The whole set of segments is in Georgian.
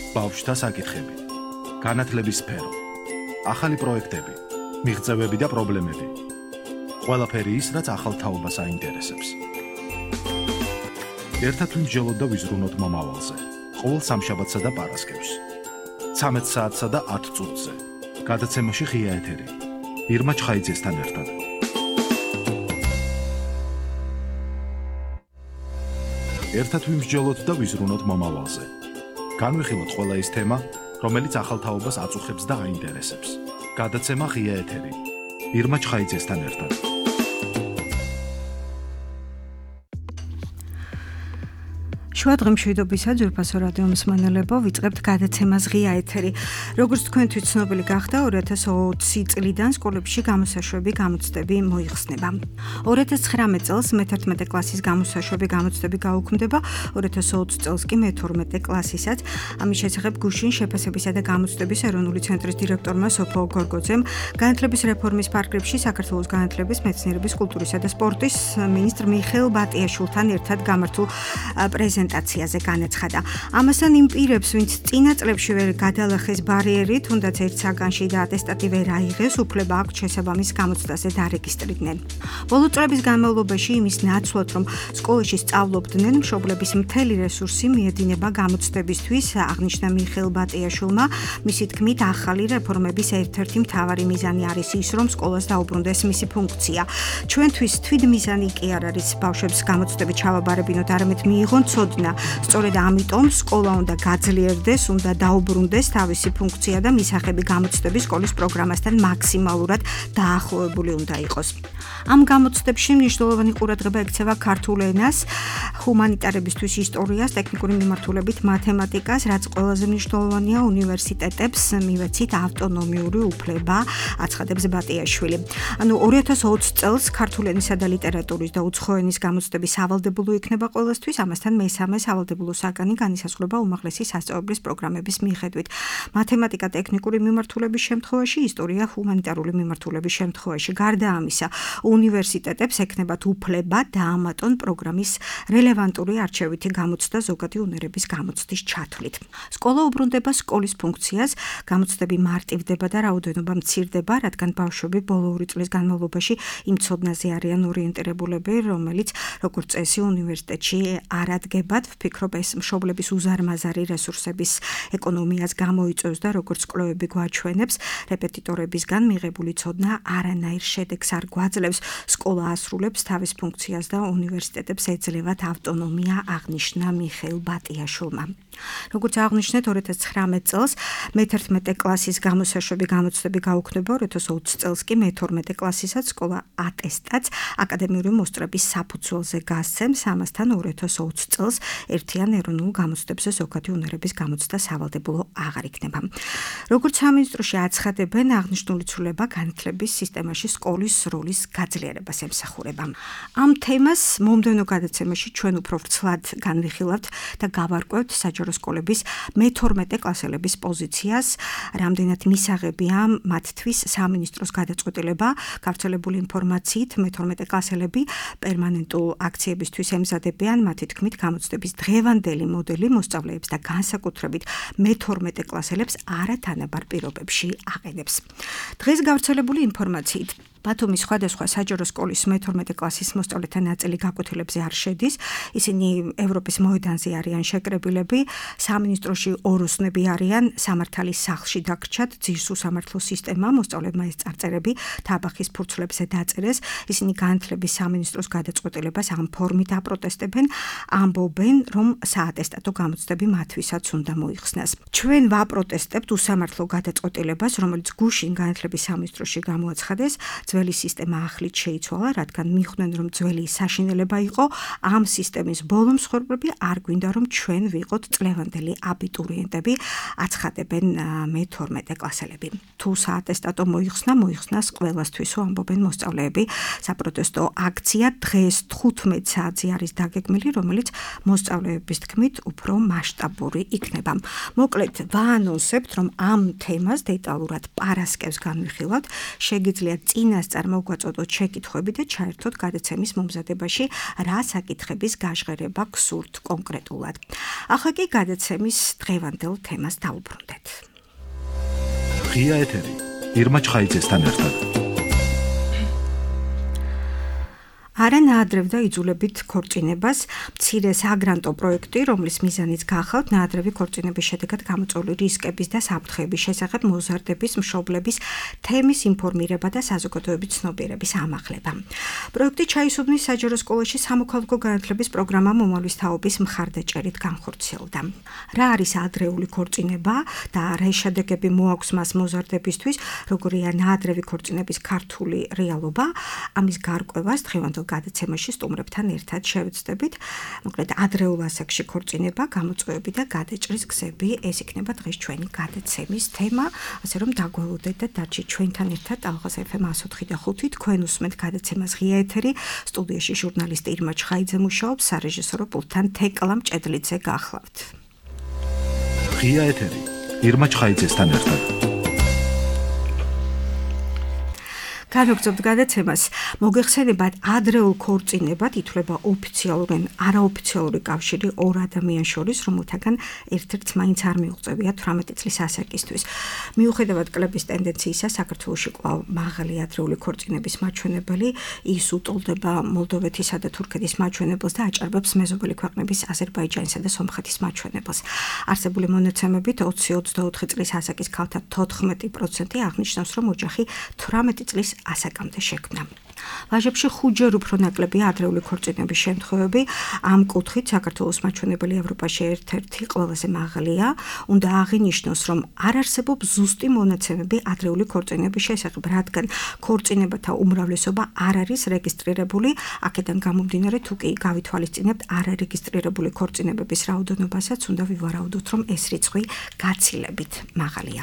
ბავშვთა საკითხები, განათლების სფერო, ახალი პროექტები, მიღწევები და პრობლემები. ყველაფერი ის, რაც ახალ თაობას აინტერესებს. ერთად ვიმსჯელოთ და ვიზრუნოთ მომავალზე. ყოველ სამშაბათსა და პარასკევს. 13 საათსა და 10 წუთზე. გადაცემაში ღია ეთერი. ირმა ჩხაიძესთან ერთად. ერთად ვიმსჯელოთ და ვიზრუნოთ მომავალზე. განვიხილოთ ყველა ის თემა, რომელიც ახალ თაობას აწუხებს და აინტერესებს. გადაცემა ღია ეთერი. ირმა ჩხაიძესთან ერთად. შუა დღემშვიდობისა ძვირფასო რადიო მსმენელებო, ვიწყებთ გადაცემას ღია ეთერი. როგორც თქვენთვის ცნობილი გახდა, 2020 წლიდან სკოლებში გამოსაშვები გამოცდები მოიხსნება. 2019 წელს მე-11 კლასის გამოსაშვები გამოცდები გაუქმდება, 2020 წელს კი მე-12 კლასისაც. ამის შესახებ გუშინ შეფასებისა და გამოცდების ეროვნული ცენტრის დირექტორმა სოფო გორგოძემ განათლების რეფორმის პარკრებში საქართველოს განათლების, მეცნიერების, კულტურისა და სპორტის მინისტრ მიხეილ ბატიაშვილთან ერთად გამართულ პრეზენტაციაზე განაცხადა. ამასთან იმ პირებს, ვინც წინა წლებში ვერ გადალახეს ბარიერი, თუნდაც ერთ საგანში და ატესტატი ვერ აიღეს, უფლება აქვთ შესაბამის გამოცდაზე დარეგისტრირდნენ. ბოლო წლების განმავლობაში იმის ნაცვლად, რომ სკოლაში სწავლობდნენ, მშობლების მთელი რესურსი მიედინება გამოცდებისთვის, აღნიშნა მიხეილ ბატიაშვილმა. მისი თქმით, ახალი რეფორმების ერთ-ერთი მთავარი მიზანი არის ის, რომ სკოლას დაუბრუნდეს მისი ფუნქცია. ჩვენთვის თვითმიზანი კი არ არის ბავშვებს გამოცდები ჩავაბარებინოთ, არამედ მიიღონ ცოდნა. სწორედ ამიტომ სკოლა უნდა გაძლიერდეს, უნდა დაუბრუნდეს თავისი ფუნქცია და მისაღები გამოცდები სკოლის პროგრამასთან მაქსიმალურად დაახლოებული უნდა იყოს. ამ გამოცდებში მნიშვნელოვანი ყურადღება ექცევა ქართულ ენას, ჰუმანიტარებისთვის ისტორიას, ტექნიკური მიმართულებით მათემატიკას, რაც ყველაზე მნიშვნელოვანია უნივერსიტეტებს მივეცით ავტონომიური უფლება, აცხადებს ბატიაშვილი. 2020 წელს ქართულ ენისა და ლიტერატურის და უცხო ენის გამოცდები სავალდებულო იქნება ყველასთვის, ამასთან მესამე სავალდებულო საგანი განისაზღვრება უმაღლესი სასწავლებლის პროგრამების მიხედვით. მათემატიკა ტექნიკური მიმართულების შემთხვევაში, ისტორია ჰუმანიტარული მიმართულების შემთხვევაში. გარდა ამისა, უნივერსიტეტებს ექნებათ უფლება დაამატონ პროგრამის რელევანტური არჩევითი გამოცდა ზოგადი უნარების გამოცდის ჩათვლით. სკოლა უბრუნდება სკოლის ფუნქციას, გამოცდები მარტივდება და რაოდენობა მცირდება, რადგან ბავშვები ბოლო 2 წლის განმავლობაში იმ ცოდნაზე არიან ორიენტირებულები, რომელიც როგორც წესი უნივერსიტეტში არ ადგებათ. ვფიქრობ, ეს მშობლების უზარმაზარი რესურსების ეკონომიას გამოიწვევს და როგორც კვლევები გვაჩვენებს, რეპეტიტორებისგან მიღებული ცოდნა არანაირ შედეგს არ გვაძლევს. სკოლა ასრულებს თავის ფუნქციას და უნივერსიტეტებს ეძლევათ ავტონომია, აღნიშნა მიხეილ ბატიაშვილმა. როგორც აღნიშნეთ, 2019 წელს მე-11 კლასის გამოსაშვები გამოცდები გაუქმდება, 2020 წელს კი მე-12 კლასისაც სკოლა ატესტატს აკადემიური მოსწრების საფუძველზე გასცემს, ამასთან 2020 წელს ერთიან ეროვნულ გამოცდებზე ზოგადი უნარების გამოცდა სავალდებულო აღარ იქნება. როგორც სამინისტროში აცხადებენ, აღნიშნული ცვლილება განათლების სისტემაში სკოლის როლის გაძლიერებას ემსახურება. ამ თემას მომდევნო გადაცემაში ჩვენ უფრო ვრცლად განვიხილავთ და გავარკვევთ საჯარო სკოლების მე-12 კლასელების პოზიციას, რამდენად მისაღებია მათთვის სამინისტროს გადაწყვეტილება. გავრცელებული ინფორმაციით, მე-12 კლასელები პერმანენტულ აქციებისთვის ემზადებიან, მათი თქმით, გამოცდების დღევანდელი მოდელი მოსწავლეებს და განსაკუთრებით მე-12 კლასელებს არათანაბარ პირობებში აყენებს. დღეს გავრცელებული ინფორმაციით ბათუმის სხვადასხვა საჯარო სკოლის მე-12 კლასის მოსწავლეთა ნაწილი გაკვეთილებზე არ შედის. ისინი ევროპის მოედანზე არიან შეკრებილები, სამინისტროში ოროსნები არიან, სამართალის სახლში დაგრჩათ, ძირს უსამართლო სისტემა, მოსწავლეებმა ეს წარწერები თაბახის ფურცლებზე დაწერეს. ისინი განათლების სამინისტროს გადაწყვეტილებას ამ ფორმით აპროტესტებენ, ამბობენ, რომ საატესტატო გამოცდები მათთვისაც უნდა მოიხსნას. ჩვენ ვაპროტესტებთ უსამართლო გადაწყვეტილებას, რომელიც გუშინ განათლების სამინისტროში გამოაცხადეს. ძველი სისტემა ახლით შეიცვალა, რადგან მიხვდნენ, რომ ძველი საშინელება იყო, ამ სისტემის ბოლო მსხვერპლები არ გვინდა, რომ ჩვენ ვიყოთ წლევანდელი აბიტურიენტები, აცხადებენ მე-12 კლასელები. თუ საატესტატო მოიხსნას ყველასთვისო, ამბობენ მოსწავლეები. საპროტესტო აქცია დღეს 15 საათზე არის დაგეგმილი, რომელიც მოსწავლეების თქმით უფრო მასშტაბური იქნება. მოკლედ, ვაანონსებთ, რომ ამ თემას დეტალურად პარასკევს განვიხილავთ, შეგიძლიათ წინა წინასწარ მოგვაწოდოთ შეკითხვები და ჩაერთოთ გადაცემის მომზადებაში, რა საკითხების გაჟღერება გსურთ კონკრეტულად. ახლა კი გადაცემის დღევანდელ თემას დავუბრუნდეთ. ღია ეთერი ირმა ჩხაიძესთან ერთად. არანაადრევ და იძულებით ქორწინებას მცირე საგრანტო პროექტი, რომლის მიზანიც გახავთ ნაადრევი ქორწინების შედეგად გამოწვეული რისკების და საფრთხეების შესახებ მოზარდების, მშობლების, თემის ინფორმირება და საზოგადოების ცნობიერების ამაღლება. პროექტი ჩაისუბნის საჯარო სკოლაში სამოქალაქო განათლების პროგრამა მომავლის თაობის მხარდაჭერით განხორციელდა. რა არის ადრეული ქორწინება და რა შედეგები მოაქვს მას მოზარდებისთვის, როგორია ნაადრევი ქორწინების ქართული რეალობა, ამის გარკვევას დღევანდელ გადაცემაში სტუმრებთან ერთად შევეცდებით. მოკლედ ადრეულ ასაკში ქორწინება, გამოწვევები და გადაჭრის გზები, ეს იქნება დღეს ჩვენი გადაცემის თემა, ასე რომ დაგვალოდეთ და დარჩით ჩვენთან ერთად ალღას FM 104.5. თქვენ უსმენთ გადაცემას ღია ეთერი, სტუდიაში ჟურნალისტი ირმა ჩხაიძე მუშაობს, სარეჟისორო პულტთან თეკლა მჭედლიძე გახლავთ. ღია ეთერი ირმა ჩხაიძესთან ერთად. განვაგრძობთ გადაცემას. მოგეხსენებათ, ადრეულ ქორწინებად ითვლება ოფიციალური ან არაოფიციალური კავშირი ორ ადამიანს შორის, რომელთაგან ერთ-ერთს მაინც არ მიუღწევია 18 წლის ასაკისთვის. მიუხედავად კლების ტენდენციისა, საქართველოში კვლავ მაღალი ადრეული ქორწინების მაჩვენებელი, ის უტოლდება მოლდოვეთისა და თურქეთის მაჩვენებელს და აჭარბებს მეზობელი ქვეყნების აზერბაიჯანისა და სომხეთის მაჩვენებელს. არსებული მონაცემებით 20-24 წლის ასაკის ქალთა 14% აღნიშნავს, რომ ოჯახი 18 წლის ასაკამდე შექმნა. ვაჟებში 5-ჯერ უფრო ნაკლებია ადრეული ქორწინების შემთხვევები. ამ კუთხით საქართველოს მაჩვენებელი ევროპაში ერთ-ერთი ყველაზე მაღალია. უნდა აღინიშნოს, რომ არ არსებობს ზუსტი მონაცემები ადრეული ქორწინების შესახებ, რადგან ქორწინებათა უმრავლესობა არ არის რეგისტრირებული. აქედან გამომდინარე, თუ კი გავითვალისწინებთ არარეგისტრირებული ქორწინებების რაოდენობასაც, უნდა ვივარაუდოთ, რომ ეს რიცხვი გაცილებით მაღალია.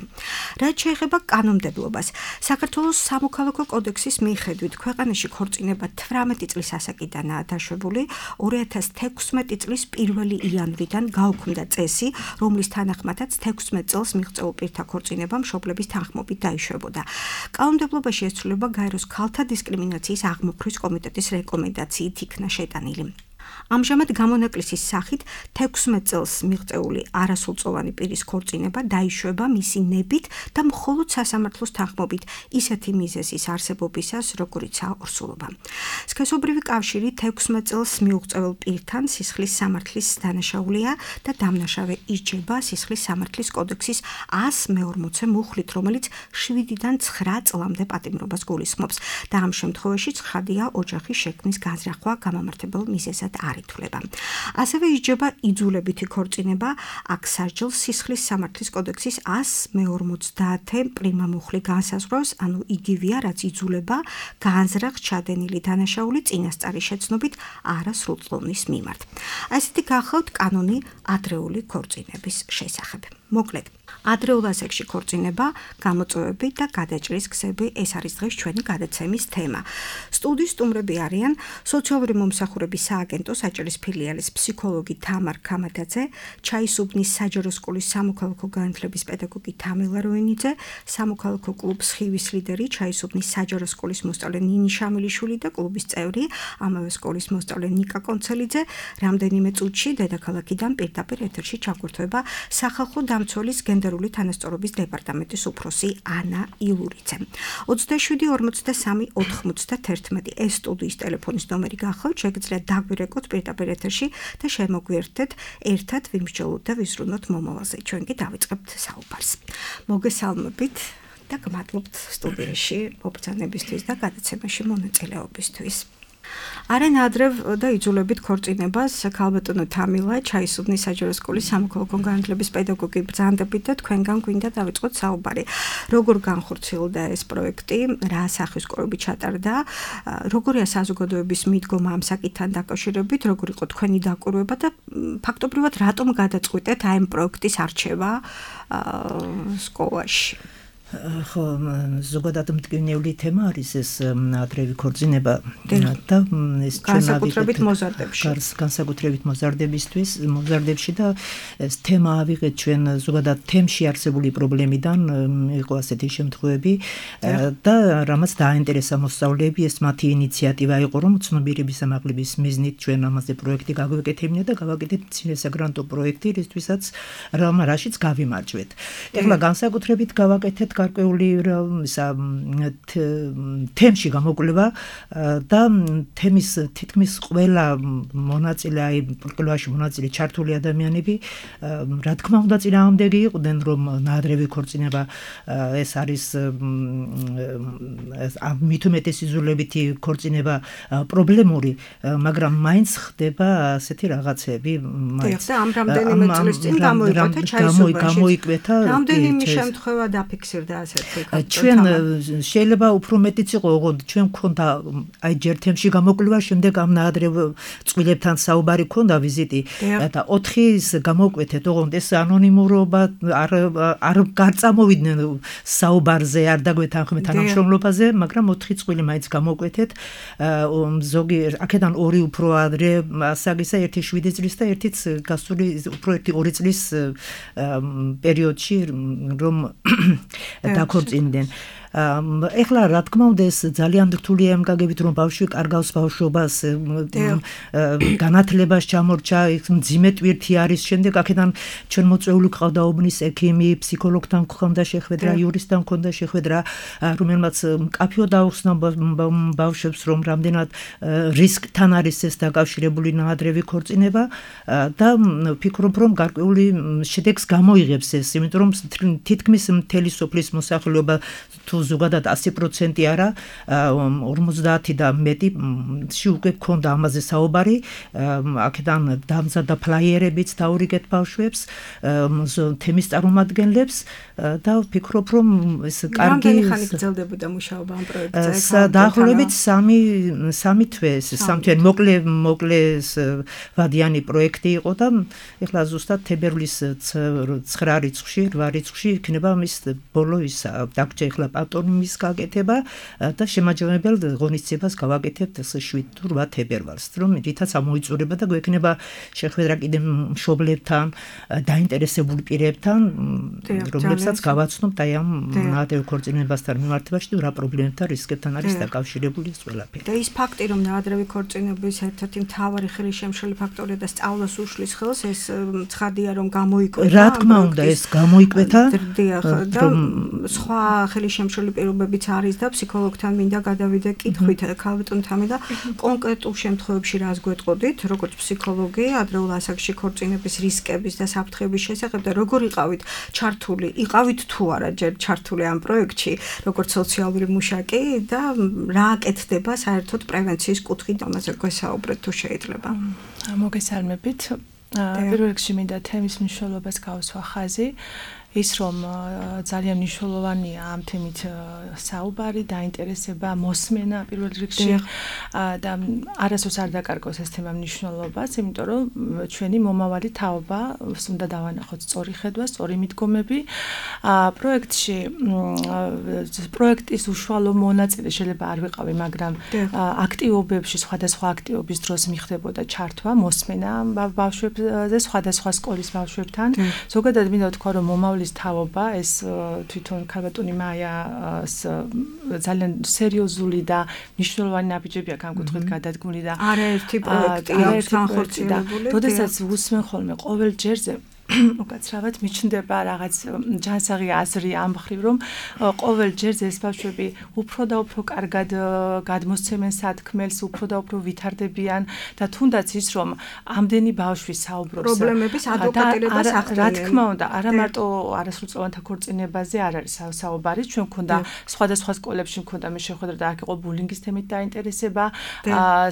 რაც შეეხება კანონმდებლობას, საქართველოს სამოქალაქო კოდექსის მიხედვით ქვეყანაში ქორწინება 18 წლის ასაკიდანაა დაშვებული. 2016 წლის 1 იანვრიდან გაუქმდა წესი, რომლის თანახმადაც 16 წელს მიღწეულ პირთა ქორწინება მშობლების თანხმობით დაიშვებოდა. კანონმდებლობაში ესწრება გაეროს ქალთა დისკრიმინაციის აღმოფხვის კომიტეტის რეკომენდაციით იქნა შეტანილი. ამჟამად გამონაკლისის სახით 16 წელს მიღწეული არასრულწლოვანი პირის ქორწინება დაიშვება მისი ნებით და მხოლოდ სასამართლოს თანხმობით ისეთი მიზეზის არსებობისას, როგორიცაა ორსულობა. სქესობრივი კავშირი 16 წელს მიუღწეულ პირთან სისხლის სამართლის დანაშაულია და დამნაშავე იჯება სისხლის სამართლის კოდექსის 140 მუხლით, რომელიც 7-დან 9 წლამდე პატიმრობას გულისხმობს და ამ შემთხვევაში ცხადია ოჯახის შექმნის განზრახვა გამამართებელ მიზეზად არ ითვლება. ასევე იჯება იძულებითი ქორწინება, აქ სასჯელს სისხლის სამართლის კოდექსის 150 პრიმა მუხლი განსაზღვრავს, ანუ იგივეა, რაც იძულება განზრახ ჩადენილი დანაშაული წინასწარი შეცნობით არასრულწლოვნის მიმართ. ასეთი გახლავთ კანონი ადრეული ქორწინების შესახებ. მოკლედ, ადრეულ ასაკში ქორწინება, გამოწვევები და გადაჭრის გზები, ეს არის დღეს ჩვენი გადაცემის თემა. სტუდიის სტუმრები არიან სოციალური მომსახურების სააგენტო საჭირის ფილიალის ფსიქოლოგი თამარ ქამადაძე, ჩაისუბნის საჯარო სკოლის სამოქალაქო განათლების პედაგოგი თამილა როინიძე, სამოქალაქო კლუბ სხივის ლიდერი, ჩაისუბნის საჯარო სკოლის მოსწავლე ნინი შამილიშვილი და კლუბის წევრი, ამავე სკოლის მოსწავლე ნიკა კონცელიძე. რამდენიმე წუთში დედაქალაქიდან პირდაპირ ეთერში ჩაგვირთვება სახალხო დამცველის გენდერული თანასწორობის დეპარტამენტის უფროსი ანა ილურიძე. 27-43-91 ეს სტუდიის ტელეფონის ნომერი გახლავთ, შეგიძლიათ დაგვირეკოთ პირდაპირ ეთერში და შემოგვიერთდეთ ერთად ვიმსჯელოთ და ვიზრუნოთ მომავალზე. ჩვენ კი დავიწყებთ საუბარს. მოგესალმებით და გმადლობთ სტუდიაში მობრძანებისთვის და გადაცემაში მონაწილეობისთვის. არანაადრევ და იძულებით ქორწინებას ქალბატონო თამილა ჩაისუბნის საჯარო სკოლის სამოქალაქო განათლების პედაგოგი ბრძანდებით და თქვენგან გვინდა დავიწყოთ საუბარი. როგორ განხორციელდა ეს პროექტი, რა სახის კორები ჩატარდა, როგორია საზოგადოების მიდგომა ამ საკითხთან დაკავშირებით, როგორ იყო თქვენი დაკვირვება და ფაქტობრივად რატომ გადაწყვიტეთ აი ამ პროექტის არჩევა სკოლაში? ხო, ზოგადად მტკივნეული თემა არის ეს ადრევი ქორწინება და ეს განსაკუთრებით მოზარდებში. განსაკუთრებით მოზარდებში და ეს თემა ავიღეთ ჩვენ ზოგადად თემში არსებული პრობლემიდან იყო ასეთი შემთხვევები და რამაც დააინტერესა მოსწავლეები, ეს მათი ინიციატივა იყო, რომ ცნობიერების ამაღლების მიზნით ჩვენ ამაზე პროექტი გავაკეთებინა და გავაკეთეთ მცირე საგრანტო პროექტი, რისთვისაც რაშიც გავიმარჯვეთ. ეხლა განსაკუთრებით გავაკეთეთ გარკვეული თემში გამოკვლევა და თემის თითქმის ყველა მონაწილე, აი პროექტში მონაწილე ჩართული ადამიანები, რა თქმა უნდა წინააღმდეგი იყვნენ, რომ ნაადრევი ქორწინება ეს არის მით უმეტეს იზოლებითი ქორწინება პრობლემური, მაგრამ მაინც ხდება ასეთი რაღაცები. და ამ რამდენიმე წლის წინ გამოიკვეთა რამდენიმე შემთხვევა დაფიქსირდა ასეთი. ჩვენ შეიძლება უფრო მეტიც იყო, ოღონდ ჩვენ მქონდა აი ჯერ თემში გამოკვლევა, შემდეგ ამ ნაადრევ წყვილებთან საუბარი ქონდა ვიზიტი და 4-ის გამოკვეთეთ, ოღონდ ეს ანონიმურობა არ გარწამოვიდნენ საუბარზე, არ დაგვეთანხმეთ თანამშრომლობაზე, მაგრამ 4 წყვილი მაინც გამოკვეთეთ. ზოგი აქედან 2 უფრო ადრე ასაგისა, ერთი 7 წლის და ერთიც გასული უფრო 2 წლის პერიოდში რომ დაქორწინდნენ. ეხლა რა თქმა უნდა ეს ძალიან რთულია იმ გაგებით, რომ ბავშვი კარგავს ბავშვობას, განათლებას ჩამორჩა, მძიმე ტვირთი არის, შემდეგ აქედან ჩვენ მოწვეული ყავდა უბნის ექიმი, ფსიქოლოგთან გქონდა შეხვედრა, იურისტთან გქონდა შეხვედრა, რომელმაც მკაფიოდ აუხსნა ბავშვებს, რომ რამდენად რისკთან არის ეს დაკავშირებული ნაადრევი ქორწინება და ვფიქრობ, რომ გარკვეული შედეგს გამოიღებს ეს, იმიტომ რომ თითქმის მთელი სოფლის მოსახლეობა თუ ზოგადად 100% არა, 50 და მეტი უკვე გქონდა ამაზე საუბარი, აქედან დამზადდა ფლაიერებიც დაურიგეთ ბავშვებს, თემის წარმომადგენლებს და ვფიქრობ, რომ ეს კარგი რამდენი ხანი გრძელდებოდა მუშაობა ამ პროექტზე? დაახლოებით 3 თვე, 3 თვე მოკლე ვადიანი პროექტი იყო და ეხლა ზუსტად თებერვლის 9 რიცხვში, 8 რიცხვში იქნება მის ბოლო ის დაგჭა ეხლა პატონიმის გაკეთება და შემაჯამებელ ღონისძიებას გავაკეთებთ 7 თუ 8 თებერვალს, რომ რითაც ამოიწურება და გვექნება შეხვედრა კიდე მშობლებთან, დაინტერესებული პირებთან, რომლებსაც გავაცნობთ აი ამ ნაადრევ ქორწინებასთან მიმართებაში და რა პრობლემებთან, რისკებთან არის დაკავშირებული ეს ყველაფერი. და ის ფაქტი, რომ ნაადრევი ქორწინების ერთ-ერთი მთავარი ხელისშემშელი ფაქტორია და სწავლას უშლის ხელს, ეს ცხადია, რომ გამოიკვეთა. რა თქმა უნდა, ეს გამოიკვეთა. და სხვა ხელისშემშელი პირობებიც არის და ფსიქოლოგთან მინდა გადავიდე კითხვით ქალბატონ თამი და კონკრეტულ შემთხვევებში რას გვეტყოდით, როგორც ფსიქოლოგი, ადრეულ ასაკში ქორწინების რისკების და საფრთხების შესახებ და როგორ იყავით თუ არა ჯერ ჩართული ამ პროექტში, როგორც სოციალური მუშაკი და რა აკეთდება საერთოდ პრევენციის კუთხით, ამაზე გვესაუბრეთ თუ შეიძლება. მოგესალმებით. პირველ რიგში მინდა თემის მნიშვნელობას გავუსვა ხაზი. ის რომ ძალიან მნიშვნელოვანია ამ თემით საუბარი, დაინტერესება, მოსმენა პირველ რიგში და არასდროს არ დაკარგოს ეს თემა მნიშვნელობას, იმიტომ რომ ჩვენი მომავალი თაობა უნდა დავანახოთ სწორი ხედვა, სწორი მიდგომები. პროექტის უშუალო მონაწილე შეიძლება არ ვიყავი, მაგრამ აქტივობებში, სხვადასხვა აქტივობის დროს მიხდებოდა ჩართვა, მოსმენა ბავშვებზე, სხვადასხვა სკოლის ბავშვებთან. ზოგადად მინდა ვთქვა, რომ მომავლის თაობა ეს თვითონ ქალბატონი მაიას ძალიან სერიოზული და მნიშვნელოვანი ნაბიჯები აქვს ამ კუთხით გადადგმული და არაერთი პროექტია განხორციელებული. როდესაც უსმენ ხოლმე ყოველ ჯერზე უკაცრავად მიჩნდება რაღაც ჯანსაღი აზრი ამ მხრივ, რომ ყოველ ჯერზე ეს ბავშვები უფრო და უფრო კარგად გადმოსცემენ სათქმელს, უფრო და უფრო ვითარდებიან და თუნდაც ის, რომ ამდენი ბავშვი საუბრობს პრობლემების ადვოკატირებას ახდენენ. რა თქმა უნდა, არა მარტო არასრულწლოვანთა ქორწინებაზე არ არის საუბარი, ჩვენ მქონდა სხვადასხვა სკოლებში მქონდა მე შეხვედრა და აქ იყო ბულინგის თემით დაინტერესება,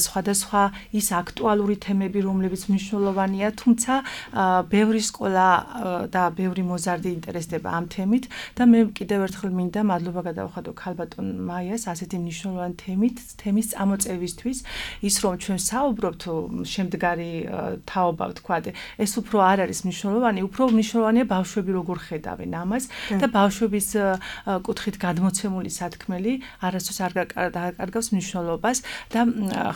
სხვადასხვა ის აქტუალური თემები, რომლებიც მნიშვნელოვანია, თუმცა ბევრი სკოლა ყველა და ბევრი მოზარდი ინტერესდება ამ თემით და მე კიდევ ერთხელ მინდა მადლობა გადავხადო ქალბატონ მაიას ასეთი მნიშვნელოვანი თემის წამოწევისთვის ის რომ ჩვენ საუბრობთ შემდგარი თაობა ვთქვათ ეს უფრო არ არის მნიშვნელოვანი უფრო მნიშვნელოვანია ბავშვები როგორ ხედავენ ამას და ბავშვების კუთხით გადმოცემული სათქმელი არასდროს არ კარგავს მნიშვნელობას და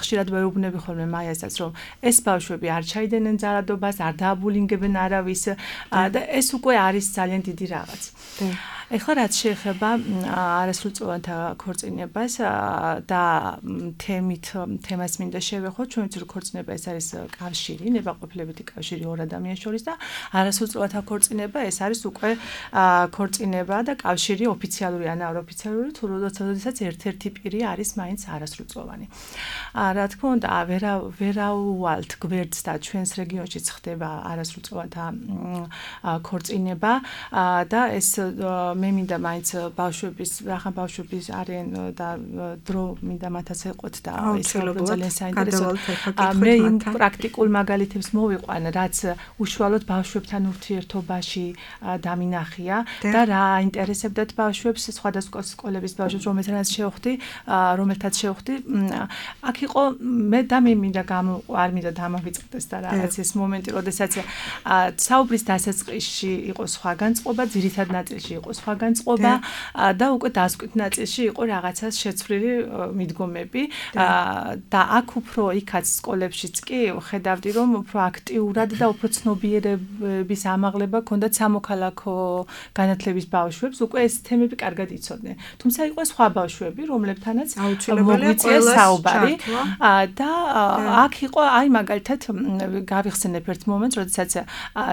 ხშირად ვეუბნები ხოლმე მაიასაც რომ ეს ბავშვები არ ჩაიდენენ ძალადობას არ დააბულინგებენ არავის და ეს უკვე არის ძალიან დიდი რაღაც. ეხლა რაც შეეხება არასრულწლოვანთა ქორწინებას და თემას მინდა შევეხო, ჩვენ ვიცით რომ ქორწინება ეს არის კავშირი, ნებაყოფლებითი კავშირი ორ ადამიანს შორის და არასრულწლოვანთა ქორწინება ეს არის უკვე ქორწინება და კავშირი ოფიციალური ან არაოფიციალური თუ როდესაც ერთ-ერთი პირი არის მაინც არასრულწლოვანი. რა თქმა უნდა, ვერაუვალთ გვერდს და ჩვენს რეგიონშიც ხდება არასრულწლოვანთა ქორწინება და ეს მე მინდა მაინც ბავშვების არიან და დრო მინდა მათაც ეყოთ და ეს ძალიან საინტერესოა. მე იმ პრაქტიკულ მაგალითებს მოვიყვან, რაც უშუალოდ ბავშვებთან ურთიერთობაში დამინახია და რა აინტერესებდათ ბავშვებს, სხვადასხვა სკოლების ბავშვებს, რომელთაც შევხვდი. აქ იყო მე მინდა არ მინდა დამავიწყდეს და რაღაც ეს მომენტი, როდესაც საუბრის დასაწყისში იყო სხვა განწყობა, ძირითად ნაწილში იყო სხვა განწყობა და უკვე დასკვით ნაწილში იყო რაღაცას შეცვლილი მიდგომები და აქ უფრო იქაც სკოლებშიც კი ხედავდი რომ უფრო აქტიურად და უფრო ცნობიერების ამაღლება ჰქონდათ სამოქალაქო განათლების ბავშვებს უკვე ეს თემები კარგად იცოდნენ თუმცა იყო სხვა ბავშვები რომლებთანაც მოგვიწია საუბარი და აქ იყო აი მაგალითად გავიხსენებ ერთ მომენტს როდესაც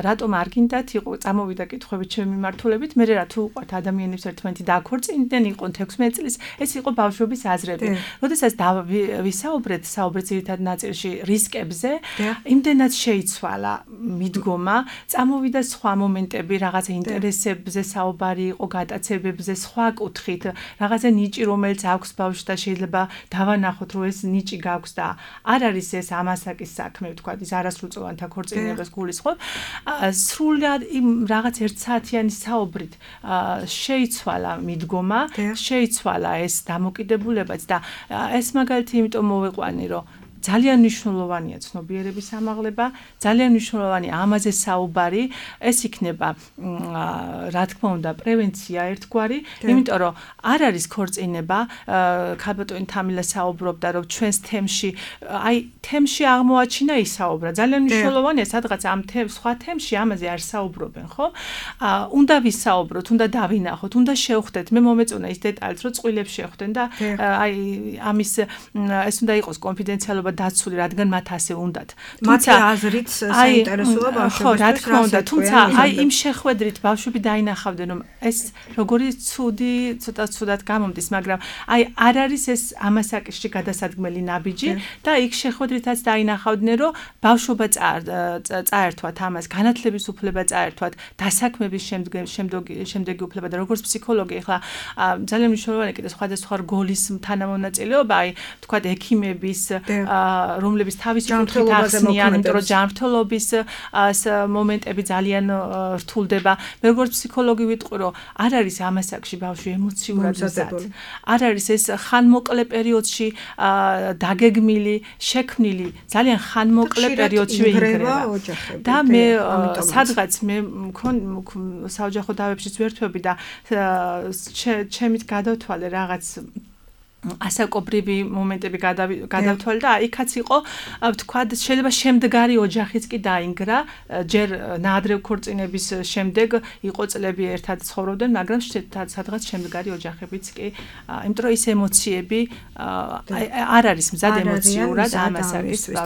რატომ არ გინდათ იყო წამოვიდა კითხვები ჩემი მიმართულებით მე რა თუ უყვართ ადამიანებს ერთმანეთი დააქორწინდნენ იყო 16 წლის ეს იყო ბავშვების აზრები როდესაც ვისაუბრეთ ძირითად ნაწილში რისკებზე იმდენად შეიცვალა მიდგომა წამოვიდა სხვა მომენტები რაღაცა ინტერესებზე საუბარი იყო გატაცებებზე სხვა კუთხით რაღაცა ნიჭი რომელიც აქვს ბავშვს და შეიძლება დავანახოთ რომ ეს ნიჭი გაქვს და არ არის ეს ამასაკის საქმე ვთქვა ის არასრულწლოვანთა ქორწინებას გულისხმობ სრულად იმ რაღაც 1 საათიანი საუბრით შეიცვალა მიდგომა შეიცვალა ეს დამოკიდებულებაც და ეს მაგალითი იმიტომ მოვიყვანი რომ ძალიან მნიშვნელოვანია ცნობიერების ამაღლება, ძალიან მნიშვნელოვანია ამაზე საუბარი, ეს იქნება რა თქმა უნდა პრევენცია ერთგვარი, იმიტომ რომ არ არის ქორწინება, ქალბატონი თამილა საუბრობდა რომ ჩვენს თემში აღმოაჩინა ისაუბრა. ძალიან მნიშვნელოვანია სადღაც ამ სხვა თემში ამაზე არ საუბრობენ, ხო? უნდა ვისაუბროთ, უნდა დავინახოთ, უნდა შევხვდეთ. მე მომეწონა ის დეტალიც რომ წყვილებს შევხვდნენ და ამის ეს უნდა იყოს კონფიდენციალობა დაცული, რადგან მათ ასე უნდათ. მათი აზრით საინტერესოა ბავშვებისთვის. ხო, რა თქმა უნდა, თუმცა იმ შეხვედრით ბავშვები დაინახავდნენ, რომ ეს როგორი ცოტა ცუდად გამომდის, მაგრამ არ არის ეს ამასაკისში გადასადგმელი ნაბიჯი და იქ შეხვედრითაც დაინახავდნენ, რომ ბავშვობა წაერთვათ ამას, განათლების უფლება წაერთვათ, დასაქმების შემდეგი უფლება და როგორც ფსიქოლოგი, ახლა ძალიან მნიშვნელოვანია კიდე სხვადასხვა რგოლის თანამონაწილეობა, თქვათ ექიმების რომლების თავისი კუთხით ახსნიან, იმიტომ რომ ჯანმრთელობის მომენტები ძალიან რთულდება. მე როგორც ფსიქოლოგი ვიტყვი, რომ არ არის ამასაკში ბავშვი ემოციურად მზად. არ არის ეს ხანმოკლე პერიოდში დაგეგმილი, შექმნილი, ძალიან ხანმოკლე პერიოდში ვეინგრევა. და მე სადღაც მე საოჯახო დავებშიც ვერთვები და ჩემით გადავთვალე რაღაც ასაკობრივი მომენტები გადავთვალე და იქაც იყო ვთქვათ შეიძლება შემდგარი ოჯახიც კი დაინგრა ჯერ ნაადრევ ქორწინების შემდეგ იყო წლები ერთად ცხოვრობდნენ მაგრამ სადღაც შემდგარი ოჯახებიც კი იმიტომ რომ ის ემოციები არ არის მზად ემოციურად ამასაკისთვის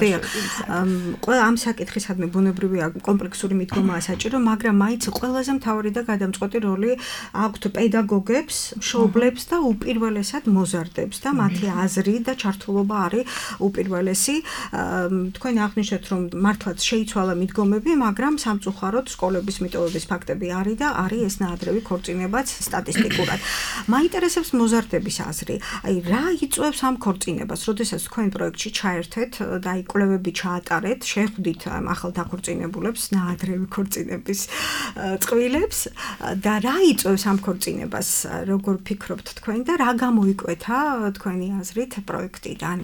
ყველა ამ საკითხისადმი ბუნებრივია კომპლექსური მიდგომაა საჭირო მაგრამ მაინც ყველაზე მთავარი და გადამწყვეტი როლი აქვთ პედაგოგებს, მშობლებს და უპირველესად მოზარდებს მიღებს და მათი აზრი და ჩართულობა არის უპირველესი. თქვენ აღნიშნეთ, რომ მართლაც შეიცვალა მიდგომები, მაგრამ სამწუხაროდ სკოლების მიტოვების ფაქტები არის და არის ეს ნაადრევი ქორწინებაც სტატისტიკურად. მაინტერესებს მოზარდების აზრი. აი, რა იწვევს ამ ქორწინებას, როდესაც თქვენ პროექტში ჩაერთეთ და აი კვლევები ჩაატარეთ, შეხვდით ახალ დაქორწინებულებს, ნაადრევი ქორწინების წყვილებს და რა იწვევს ამ ქორწინებას, როგორ ფიქრობთ თქვენ და რა გამოიკვეთა თქვენი აზრით პროექტიდან?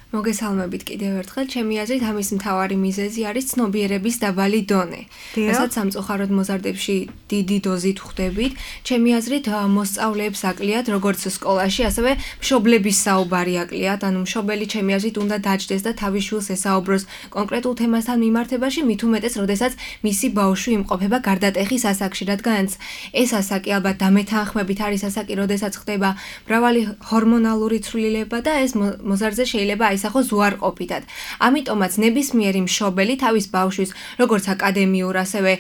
მოგესალმებით კიდევ ერთხელ. ჩემი აზრით ამის მთავარი მიზეზი არის ცნობიერების დაბალი დონე. რასაც სამწუხაროდ მოზარდებში დიდი დოზით ხვდებით. ჩემი აზრით მოსწავლეებს აკლიათ როგორც სკოლაში, ასევე მშობლების საუბარი აკლიათ. ანუ მშობელი ჩემი აზრით უნდა დაჯდეს და თავის შვილს ესაუბროს კონკრეტულ თემასთან მიმართებაში, მით უმეტეს, როდესაც მისი ბავშვი იმყოფება გარდატეხის ასაკში, რადგანაც ეს ასაკი ალბათ დამეთანხმებით არის ასაკი, როდესაც ხდება მრავალი ჰორმონალური ცვლილება და ეს მოზარდზე შეიძლება აისახოს უარყოფითად. ამიტომაც ნებისმიერი მშობელი თავის ბავშვის როგორც აკადემიურ, ასევე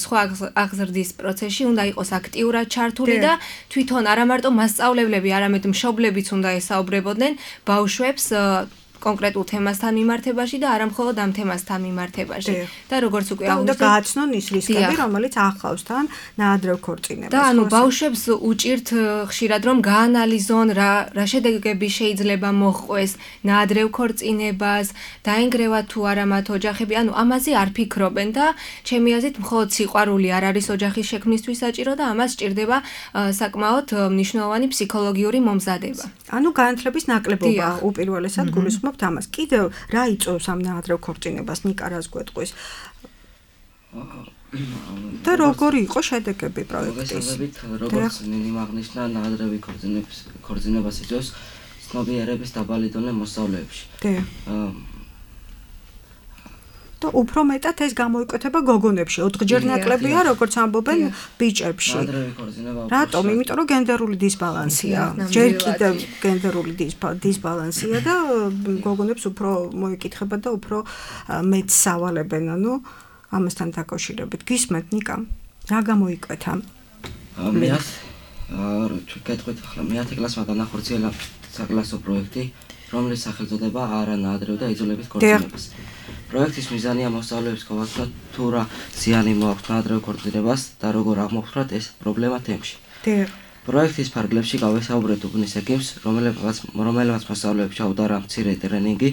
სხვა აღზრდის პროცესში უნდა იყოს აქტიურად ჩართული და თვითონ არა მარტო მასწავლებლები, არამედ მშობლებიც უნდა ესაუბრებოდნენ ბავშვებს კონკრეტულ თემასთან მიმართებაში და არა მხოლოდ ამ თემასთან მიმართებაში. და როგორც უკვე აღნიშნეთ, და გააცნონ ის რისკები, რომელიც ახლავს თან ნაადრევ ქორწინებას. და ანუ ბავშვებს უჭირთ ხშირად რომ გაანალიზონ რა შედეგები შეიძლება მოჰყვეს ნაადრევ ქორწინებას, დაინგრევათ თუ არა მათ ოჯახები, ანუ ამაზე არ ფიქრობენ და ჩემი აზრით მხოლოდ სიყვარული არ არის ოჯახის შექმნისთვის საჭირო და ამას სჭირდება საკმაოდ მნიშვნელოვანი ფსიქოლოგიური მომზადება. ანუ განათლების ნაკლებობა უპირველესად გულისხმობს ამას. კიდევ რა იწვევს ამ ნაადრევ ქორწინებას, ნიკა რას გვეტყვის? და როგორი იყო შედეგები პროექტის? მოგესალმებით, როგორც ნინიმ აღნიშნა, ნაადრევი ქორწინებას იწვევს ცნობიერების დაბალი დონე მოსწავლეებში. და უფრო მეტად ეს გამოიკვეთება გოგონებში, 4-ჯერ ნაკლებია, როგორც ამბობენ ბიჭებში. რატომ? იმიტომ რომ გენდერული დისბალანსია. ჯერ კიდევ გენდერული დისბალანსია და გოგონებს უფრო მოიკითხება და უფრო მეტ სავალებენ, ანუ ამასთან დაკავშირებით. გისმენთ, ნიკა? რა გამოიკვეთა? გეტყვით ახლა მე-10 კლასმა განახორციელა საკლასო პროექტი, რომლის სახელწოდება არა ნაადრევ და იძულებით ქორწინებას. პროექტის მიზანია მოსწავლეებს გავაცნოთ თუ რა ზიანი მოაქვს ნაადრევ ქორწინებას და როგორ აღმოფხვრათ ეს პრობლემა თემში. პროექტის ფარგლებში გავესაუბრეთ უბნის ეკიმს, რომელმაც მოსწავლეებს ჩაუტარა მცირე ტრენინგი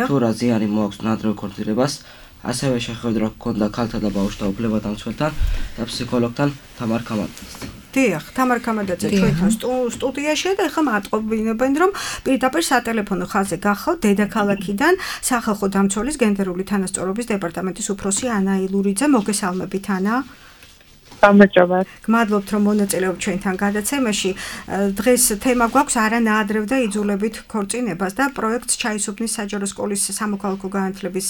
თუ რა ზიანი მოაქვს ნაადრევ ქორწინებას, ასევე შეხვედრა ჰქონდა ქალთა და ბავშვთა უფლებადამცველთან და ფსიქოლოგთან თამარ ქამადაძესთან. დიახ, თამარ ქამადაძე ჩვენთან სტუდიაშია და ახლა მატყობინებენ, რომ პირდაპირ სატელეფონო ხაზზე გახავთ დედაქალაქიდან სახალხო დამცველის გენდერული თანასწორობის დეპარტამენტის უფროსი ანა ილურიძე. მოგესალმებით, ანა. გამარჯობა. გმადლობთ, რომ მონაწილეობთ ჩვენთან გადაცემაში. დღეს თემა გვაქვს არა ნაადრევ და იძულებით ქორწინებას და პროექტს ჩაისუფნის საჯარო სკოლის სამოქალაქო განათლების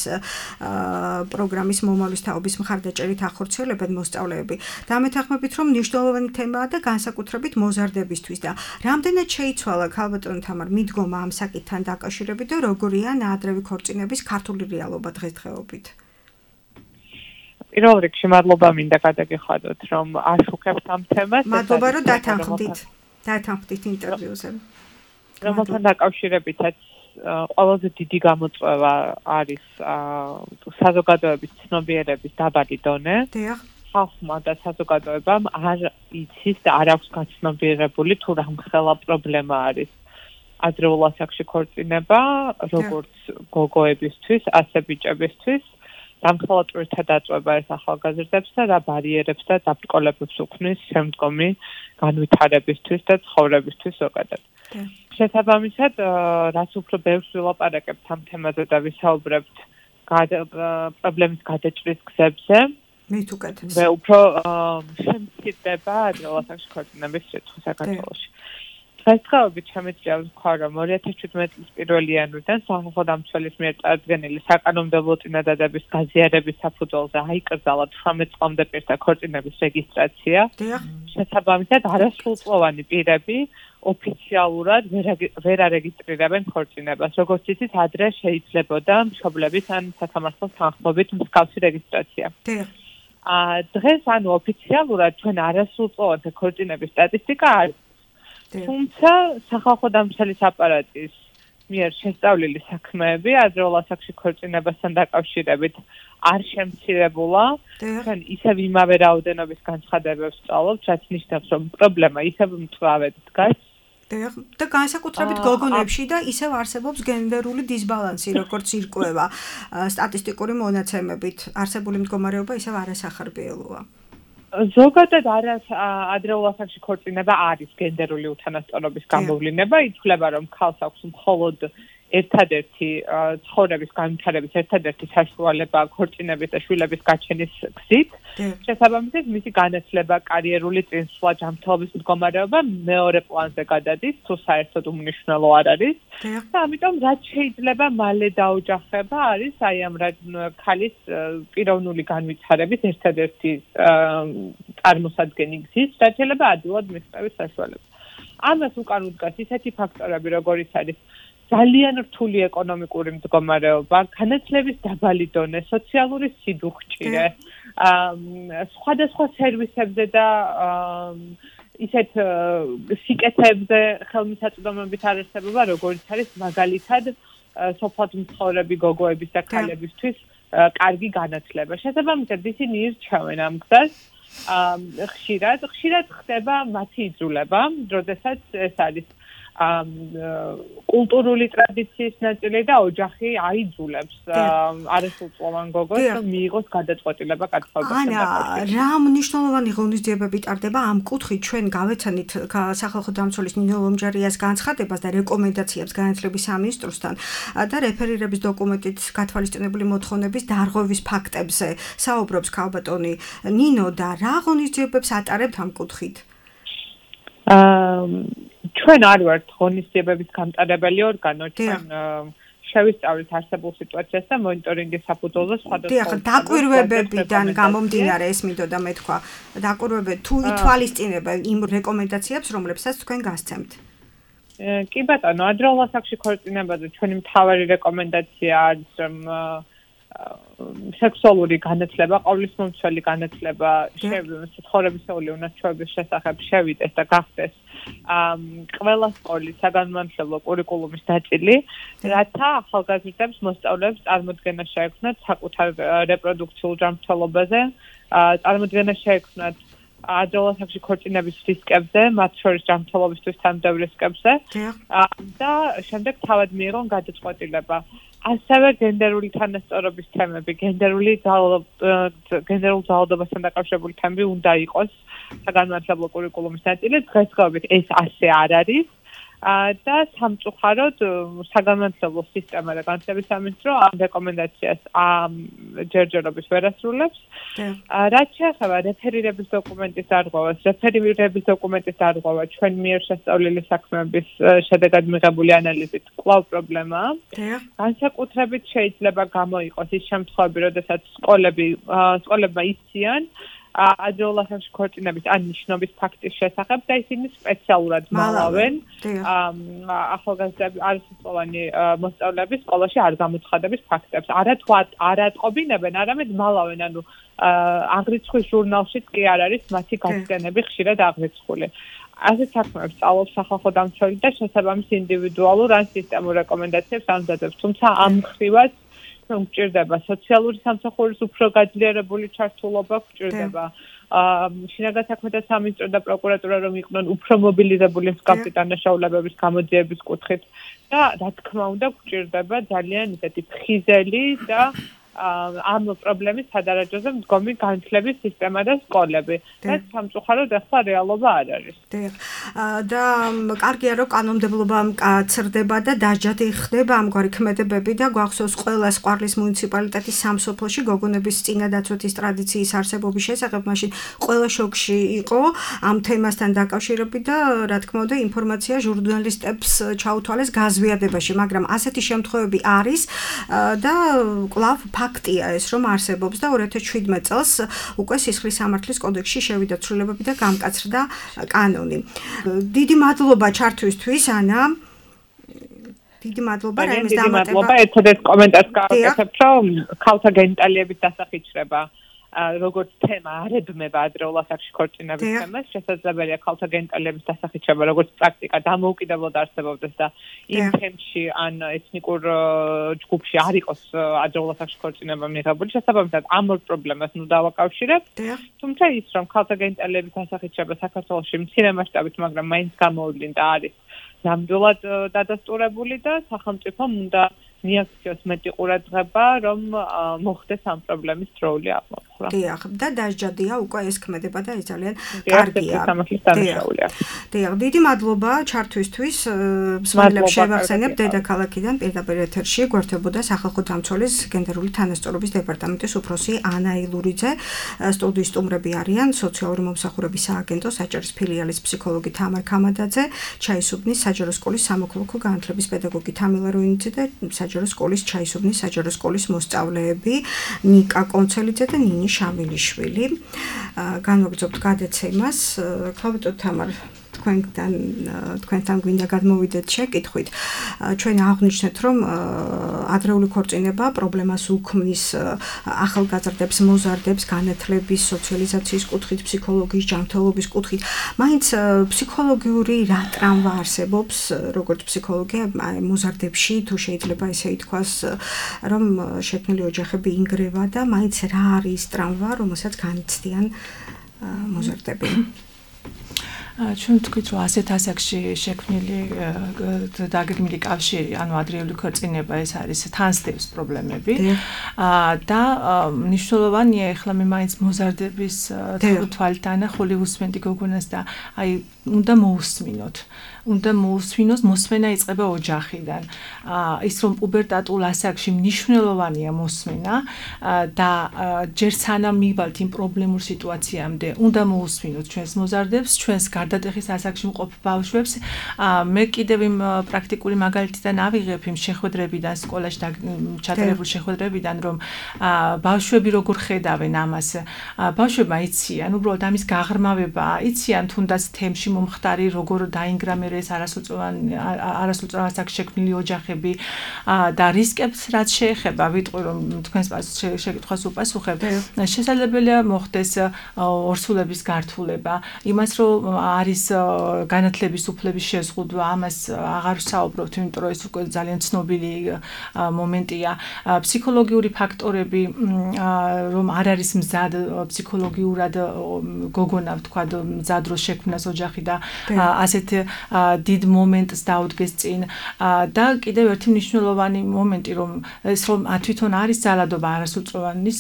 პროგრამის მომავლის თაობის მხარდაჭერით ახორციელებენ მოსწავლეები. დამეთანხმებით, რომ მნიშვნელოვანი თემაა და განსაკუთრებით მოზარდებისთვის და რამდენად შეიცვალა ქალბატონი თამარ მიდგომა ამ საკითხთან დაკავშირებით და როგორია ნაადრევი ქორწინების ქართული რეალობა დღესდღეობით? პირველ რიგში მადლობა მინდა გადაგიხადოთ, რომ აშუქებთ ამ თემას. მადლობა, რომ დათანხმდით ინტერვიუზე. რომელთან დაკავშირებითაც ყველაზე დიდი გამოწვევა არის საზოგადოების ცნობიერების დაბალი დონე. ხალხმა და საზოგადოებამ არ იცის და არ აქვს გაცნობიერებული თუ რა მხელა პრობლემა არის ადრეულ ასაკში ქორწინება, როგორც გოგოებისთვის, ასე ბიჭებისთვის. დამხელად პირთა დაწვება ეს ახალგაზრდებს და რა ბარიერებს და დაბრკოლებებს უქმნის შემდგომი განვითარებისთვის და ცხოვრებისთვის ზოგადად. შესაბამისად, რაც უფრო ბევრს ვილაპარაკებთ ამ თემაზე და ვისაუბრებთ პრობლემის გადაჭრის გზებზე, მით უკეთეს. მე უფრო შემცირდება ადრეულ ასაკში ქორწინების რიცხვი საქართველოში. დღესდღეობით შემიძლია ვთქვა, რომ 2017 წლის 1 იანვრიდან სახალხო დამცველის მიერ წარდგენილი საკანონმდებლო წინადადების გაზიარების საფუძველზე აიკრძალა 18 წლამდე პირთა ქორწინების რეგისტრაცია. შესაბამისად, არასრულწლოვანი პირები ოფიციალურად ვერ არეგისტრირებენ ქორწინებას. როგორც იცით, ადრე შეიძლებოდა მშობლების ან სასამართლოს თანხმობით მსგავსი რეგისტრაცია. დღეს ანუ ოფიციალურად ჩვენ არასრულწლოვანთა ქორწინების სტატისტიკა არის. თუმცა სახალხო დამცველის აპარატის მიერ შესწავლილი საქმეები ადრეულ ასაკში ქორწინებასთან დაკავშირებით არ შემცირებულა. თქვენ ისევ იმავე რაოდენობის განცხადებებს სწავლობთ, რაც ნიშნავს, რომ პრობლემა ისევ მწვავედ დგას. და განსაკუთრებით გოგონებში და ისევ არსებობს გენდერული დისბალანსი, როგორც ირკვევა სტატისტიკური მონაცემებით. არსებული მდგომარეობა ისევ არასახარბიელოა. ზოგადად ადრეულ ასაკში ქორწინება არის გენდერული უთანასწორობის გამოვლინება, ითვლება, რომ ქალს აქვს მხოლოდ ერთადერთი ცხოვრების განვითარების ერთადერთი საშუალება ქორწინების და შვილების გაჩენის გზით. შესაბამისად, მისი განათლება, კარიერული წინსვლა, ჯანმრთელობის მდგომარეობა მეორე პლანზე გადადის, თუ საერთოდ უმნიშვნელო არ არის. და ამიტომ რაც შეიძლება მალე დაოჯახება არის აი ამ ქალის პიროვნული განვითარების ერთადერთი წარმოსადგენი გზის, რაც შეიძლება ადვილად მიღწევის საშუალება. ამას უკან უდგას ისეთი ფაქტორები, როგორიც არის ძალიან რთული ეკონომიკური მდგომარეობა, განათლების დაბალი დონე, სოციალური სიდუხჭირე, სხვადასხვა სერვისებზე და ისეთ სიკეთეებზე ხელმისაწვდომობით არარსებობა, როგორც არის მაგალითად სოფლად მცხოვრები გოგოების და ქალებისთვის კარგი განათლება. შესაბამისად, ისინი ირჩევენ ამ გზას. ხშირად ხდება მათი იძულება, როდესაც ეს არის კულტურული ტრადიციის ნაწილი და ოჯახი აიძულებს არასრულწლოვან გოგოს რომ მიიღოს გადაწყვეტილება კათოლიკოსთან დაკავშირებით. რა მნიშვნელოვანი ღონისძიებები ტარდება ამ კუთხით ჩვენ გავეცანით სახალხო დამცველის ნინო ლომჯარიას განცხადებას და რეკომენდაციებს განათლების სამინისტროსთან და რეფერირების დოკუმენტით გათვალისწინებული მოთხოვნების დარღვევის ფაქტებზე საუბრობს ქალბატონი ნინო და რა ღონისძიებებს ატარებთ ამ კუთხით? ჩვენ არ ვართ ღონისძიებების გამტარებელი ორგანო, ჩვენ შევისწავლით არსებულ სიტუაციას და მონიტორინგის საფუძველზე სხვადასხვა დაკვირვებებიდან გამომდინარე ეს მინდოდა მეთქვა. დაკვირვებები თუ ითვალისწინებენ იმ რეკომენდაციებს, რომლებსაც თქვენ გასცემთ. კი ბატონო, ადრეულ ასაკში ქორწინებაზე ჩვენი მთავარი რეკომენდაცია არის, რომ სექსუალური განათლება, ყოვლისმომცველი განათლება, ცხოვრებისეული უნარჩვევების შესახებ შევიდეს და გახდეს ყველა სკოლის საგანმანათლებლო კურიკულუმის ნაწილი, რათა ახალგაზრდებს მოსწავლეებს წარმოდგენა შეექმნათ საკუთარ რეპროდუქციულ ჯანმრთელობაზე, წარმოდგენა შეექმნათ ადრეულ ასაკში ქორწინების რისკებზე, მათ შორის ჯანმრთელობისთვის თანამდებობ რისკებზე და შემდეგ თავად მიიღონ გადაწყვეტილება. ასევე გენდერული თანასწორობის თემები, გენდერულ ძალადობასთან დაკავშირებული თემები უნდა იყოს საგანმანათლებლო კურიკულუმის ნაწილი. დღესდღეობით ეს ასე არ არის და სამწუხაროდ საგანმანათლებლო სისტემა და განათლების სამინისტრო ამ რეკომენდაციას ჯერჯერობით ვერ ასრულებს. რაც შეეხება რეფერირების დოკუმენტის დარღვევას, რეფერირების დოკუმენტის დარღვევა ჩვენ მიერ შესწავლილი საქმეების შედეგად მიღებული ანალიზით კვლავ პრობლემაა. განსაკუთრებით შეიძლება გამოიყოს ის შემთხვევები, როდესაც სკოლებმა იციან ადრეულ ასაკში ქორწინების ან ნიშნობის ფაქტის შესახებ და ისინი სპეციალურად მალავენ ახალგაზრდები არასრულწლოვანი მოსწავლეები სკოლაში არ გამოცხადების ფაქტებს. არ ატყობინებენ, არამედ მალავენ, ანუ აღრიცხვის ჟურნალშიც კი არ არის მათი გასცდენები ხშირად აღრიცხული. ასეთ საქმეებს სწავლობს სახალხო დამცველი და შესაბამის ინდივიდუალურ ან სისტემურ რეკომენდაციებს ამზადებს. თუმცა ამ მხრივაც გვჭირდება სოციალური სამსახურის უფრო გაძლიერებული ჩართულობა, გვჭირდება შინაგან საქმეთა სამინისტრო და პროკურატურა რომ იყვნენ უფრო მობილიზებული მსგავსი დანაშაულებების გამოძიების კუთხით და რა თქმა უნდა გვჭირდება ძალიან ისეთი ფხიზელი და ამ პრობლემის სადარაჯოზე მდგომი განათლების სისტემა და სკოლები. რაც სამწუხაროდ ახლა რეალობა არ არის. და კარგია რომ კანონმდებლობა მკაცრდება და დაჯადი ხდება ამგვარი ქმედებები და გვახსოვს ყველა სყვარლის მუნიციპალიტეტის სამსოფლოში გოგონების წინადაცვეთის ტრადიციის არსებობის შესახებ მაშინ ყველა შოკში იყო ამ თემასთან დაკავშირებით და რა თქმა უნდა ინფორმაცია ჟურნალისტებს ჩაუთვალეს გაზვიადებაში, მაგრამ ასეთი შემთხვევები არის და კვლავ ფაქტია ეს რომ არსებობს და 2017 წელს უკვე სისხლის სამართლის კოდექსში შევიდა ცვლილებები და გამკაცრდა კანონი. დიდი მადლობა ჩართვისთვის ანა. დიდი მადლობა რაიმეს დამატება. ერთადერთ კომენტარს გავაკეთებ რომ ქალთა გენიტალიების დასახიჩრება როგორც თემა არებმება ადრეულ ასაკში ქორწინების თემას, შესაძლებელია ქალთა გენიტალიების დასახიჩება როგორც პრაქტიკა დამოუკიდებლად არსებობდეს და იმ თემში ან ეთნიკურ ჯგუფში არ იყოს ადრეულ ასაკში ქორწინება მიღებული, შესაბამისად ამ ორ პრობლემას ნუ დავაკავშირებ. თუმცა ის რომ ქალთა გენიტალიების დასახიჩება საქართველოში მცირე მასშტაბით, მაგრამ მაინც გამოვლინდა არის ნამდვილად დადასტურებული და სახელმწიფომ უნდა მიაქციოს მეტი ყურადღება, რომ მოხდეს ამ პრობლემის დროული აღმოფხვრა. დიახ, და დასჯადია უკვე ეს ქმედება და ეს ძალიან კარგია. დიახ, დიდი მადლობა ჩართვისთვის. მსმენელებს შევახსენებ, დედაქალაქიდან პირდაპირ ეთერში გვერდებოდა სახალხო დამცველის გენდერული თანასწორობის დეპარტამენტის უფროსი ანა ილურიძე. სტუდიის სტუმრები არიან სოციალური მომსახურების სააგენტოს საჭირის ფილიალის ფსიქოლოგი თამარ ქამადაძე, ჩაისუბნის საჯარო სკოლის სამოქალაქო განათლების პედაგოგი თამილა როინიძე და საჯარო სკოლის ჩაისუბნის საჯარო სკოლის მოსწავლეები ნიკა კონცელიძე და ნინი შამილიშვილი. განვაგრძობთ გადაცემას. ქალბატონ თამარ, თქვენთან გვინდა გადმოვიდეთ შეკითხვით. ჩვენ აღვნიშნეთ, რომ ადრეული ქორწინება პრობლემას უქმნის ახალგაზრდებს, მოზარდებს, განათლების, სოციალიზაციის კუთხით, ფსიქოლოგიის ჯანმრთელობის კუთხით. მაინც ფსიქოლოგიური რა ტრამვა არსებობს, როგორც ფსიქოლოგია მოზარდებში, თუ შეიძლება ესე ითქვას, რომ შექმნილი ოჯახები ინგრევა და მაინც რა არის ტრამვა, რომელსაც განიცდიან მოზარდები. ჩვენ ვთქვით, რომ ასეთ ასაკში შექმნილი დაგეგმილი კავშირი, ანუ ადრეული ქორწინება ეს არის თანსდევს პრობლემები და მნიშვნელოვანია ახლა მე მაინც მოზარდების თვალით ანახული უსმენდი გოგონას და აი უნდა მოусმინოთ, მოსმენა იწყება ოჯახიდან. ის რომ პუბერტატულ ასაკში მნიშვნელოვანია მოსმენა და ჯერ სანამ მივალთ იმ პრობლემურ სიტუაციამდე, უნდა მოусმინოთ ჩვენს მოზარდებს, ჩვენს გარდატეხის ასაკში მყოფ ბავშვებს. მე კიდევ იმ პრაქტიკული მაგალითიდან ავიღებ იმ შეხვედრებიდან, სკოლაში ჩატარებულ შეხვედრებიდან, რომ ბავშვები როგორ ხედავენ ამას. ბავშვებმა იციან, უბრალოდ ამის გაღრმავება, იციან თუნდაც თემში მომხდარი როგორ დაინგრა მე ეს არასრულწლოვან ასაკში შექმნილი ოჯახები და რისკებს რაც შეეხება, ვიტყვი რომ თქვენს შეკითხვას უპასუხებ. შესაძლებელია მოხდეს ორსულების გართულება, იმას რომ არის განათლების უფლების შეზღუდვა, ამას აღარ ვსაუბრობთ, იმიტომ რომ ეს უკვე ძალიან ცნობილი მომენტია. ფსიქოლოგიური ფაქტორები, რომ არ არის მზად ფსიქოლოგიურად გოგონა, ვთქვა, მზად რო შექმნას ოჯახი და ასეთ დიდ მომენტს დაუდგეს წინ და კიდევ ერთი მნიშვნელოვანი მომენტი, რომ ეს რომ თვითონ არის ძალადობა არასრულწლოვანის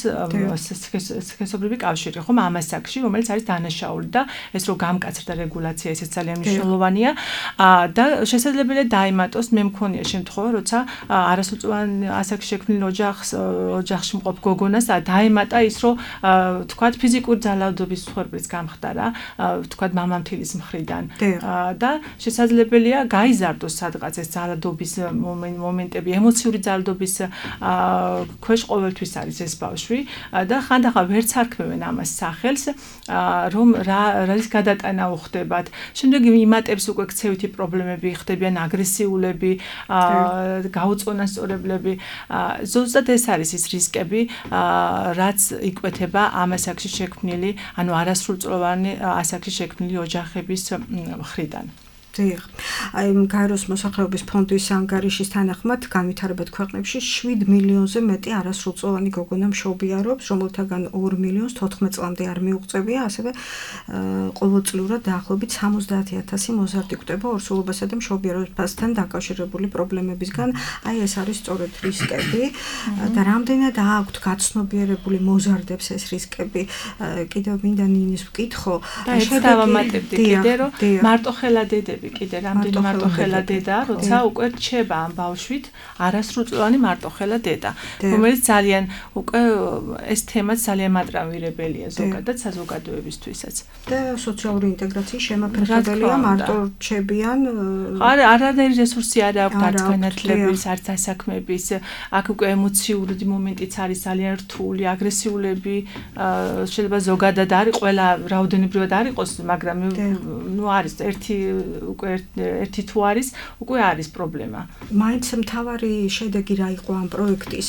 სქესობრივი კავშირი, ხომ ამ ასაკში, რომელიც არის დანაშაული და ეს რომ გამკაცრდა რეგულაცია, ესეც ძალიან მნიშვნელოვანია და შესაძლებელია დაემატოს, მე მქონია შემთხვევა, როცა არასრულწლოვან ასაკში შექმნილ ოჯახში მყოფ გოგონას დაემატა ის, რომ თქვათ ფიზიკური ძალადობის მსხვერპლიც გამხდარა, თქვათ მამამთილის მხრიდან და შესაძლებელია გაიზარდოს სადღაც ეს ძალადობის მომენტები, ემოციური ძალადობის ქვეშ ყოველთვის არის ეს ბავშვი და ხანდახან ვერც არქმევენ ამას სახელს, რომ რა ის გადატანა უხდებათ. შემდეგ იმატებს უკვე ქცევითი პრობლემები, ხდებიან აგრესიულები, გაუწონასწორებლები. ზუსტად ეს არის ის რისკები, რაც იკვეთება ამ ასაკში შექმნილი, ანუ არასრულწლოვანი ასაკში შექმნილი ოჯახების მხრიდან. დიახ. აი გაეროს მოსახლეობის ფონდის ანგარიშის თანახმად განვითარებად ქვეყნებში 7 მილიონზე მეტი არასრულწლოვანი გოგონა მშობიარობს, რომელთაგან 2 მილიონს 14 წლამდე არ მიუღწევია, ასევე ყოველწლიურად დაახლოებით 70,000 მოზარდი გვხვდება ორსულობასა და მშობიარობასთან დაკავშირებული პრობლემებისგან. აი ეს არის სწორედ რისკები და რამდენად აქვთ გაცნობიერებული მოზარდებს ეს რისკები. კიდევ მინდა ნინის ვკითხო. და ეს დავამატებდი კიდე, რომ მარტოხელა დედები კიდე რამდენი მარტოხელა დედა, როცა უკვე რჩება ამ ბავშვით არასრულწლოვანი მარტოხელა დედა, რომელიც ძალიან უკვე ეს თემაც ძალიან მატრამირებელია ზოგადად საზოგადოებისთვისაც. და სოციალური ინტეგრაციის შემაფერხებელია, მარტო რჩებიან. არანაირი რესურსი არ აქვს არც განათლების, არც დასაქმების, აქ უკვე ემოციური მომენტიც არის ძალიან რთული, აგრესიულები, შეიძლება ზოგადად არის, ყველა რაოდენობრივად არ იყოს, მაგრამ ნუ არის ერთი უკვე ერთი თუ არის, უკვე არის პრობლემა. მაინც მთავარი შედეგი რა იყო ამ პროექტის?